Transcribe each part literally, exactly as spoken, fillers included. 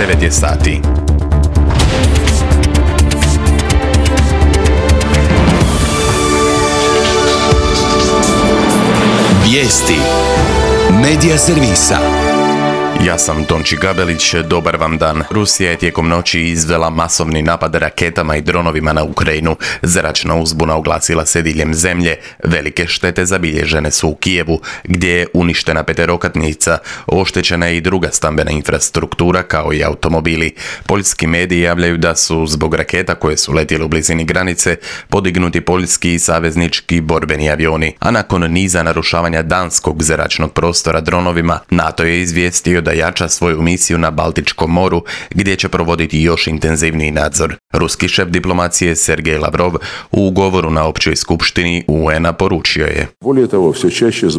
devet je sati. Vijesti Medija servisa. Ja sam Tonči Gabelić, dobar vam dan. Rusija je tijekom noći izvela masovni napad raketama i dronovima na Ukrajinu. Zračna uzbuna oglasila se diljem zemlje. Velike štete zabilježene su u Kijevu, gdje je uništena peterokatnica, oštećena je i druga stambena infrastruktura kao i automobili. Poljski mediji javljaju da su zbog raketa koje su letjele u blizini granice podignuti poljski i saveznički borbeni avioni, a nakon niza narušavanja danskog zračnog prostora dronovima, NATO je izvijestio da jača svoju misiju na Baltičkom moru, gdje će provoditi još intenzivniji nadzor. Ruski šef diplomacije Sergej Lavrov u govoru na općoj skupštini U N-a poručio je: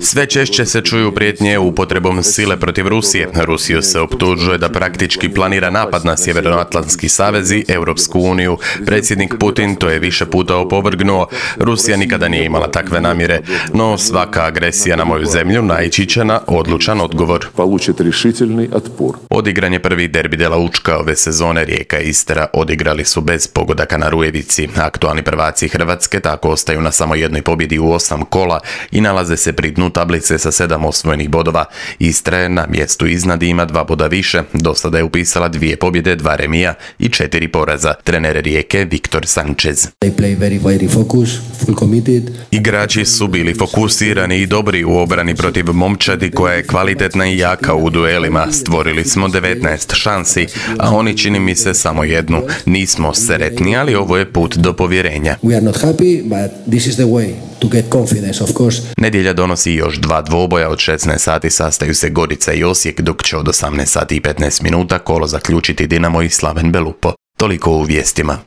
Sve češće se čuju prijetnje upotrebom sile protiv Rusije. Rusiju se optužuje da praktički planira napad na Sjevernoatlantski savez i Europsku uniju. Predsjednik Putin to je više puta opovrgnuo. Rusija nikada nije imala takve namjere, no svaka agresija na moju zemlju naići će na odlučan odgovor. Odigran je prvi derbi de la Učka ove sezone. Rijeka i Istra odigrali su bez pogodaka na Rujevici. Aktualni prvaci Hrvatske tako ostaju na samo jednoj pobjedi u osam kola i nalaze se pri dnu tablice sa sedam osvojenih bodova. Istra je na mjestu iznad i ima dva boda više. Do sada je upisala dvije pobjede, dva remija i četiri poraza. Trener Rijeke Viktor Sanchez. Igrači su bili fokusirani i dobri u obrani protiv momčadi koja je kvalitetna i jaka u duelima. Stvorili smo devetnaest šansi, a oni čini mi se samo jednu. Nismo sretni, ali ovo je put do povjerenja. Nedjelja donosi još dva dvoboja. Od šesnaest sati sastaju se Gorica i Osijek, dok će od osamnaest sati i petnaest minuta kolo zaključiti Dinamo i Slaven Belupo. Toliko u vijestima.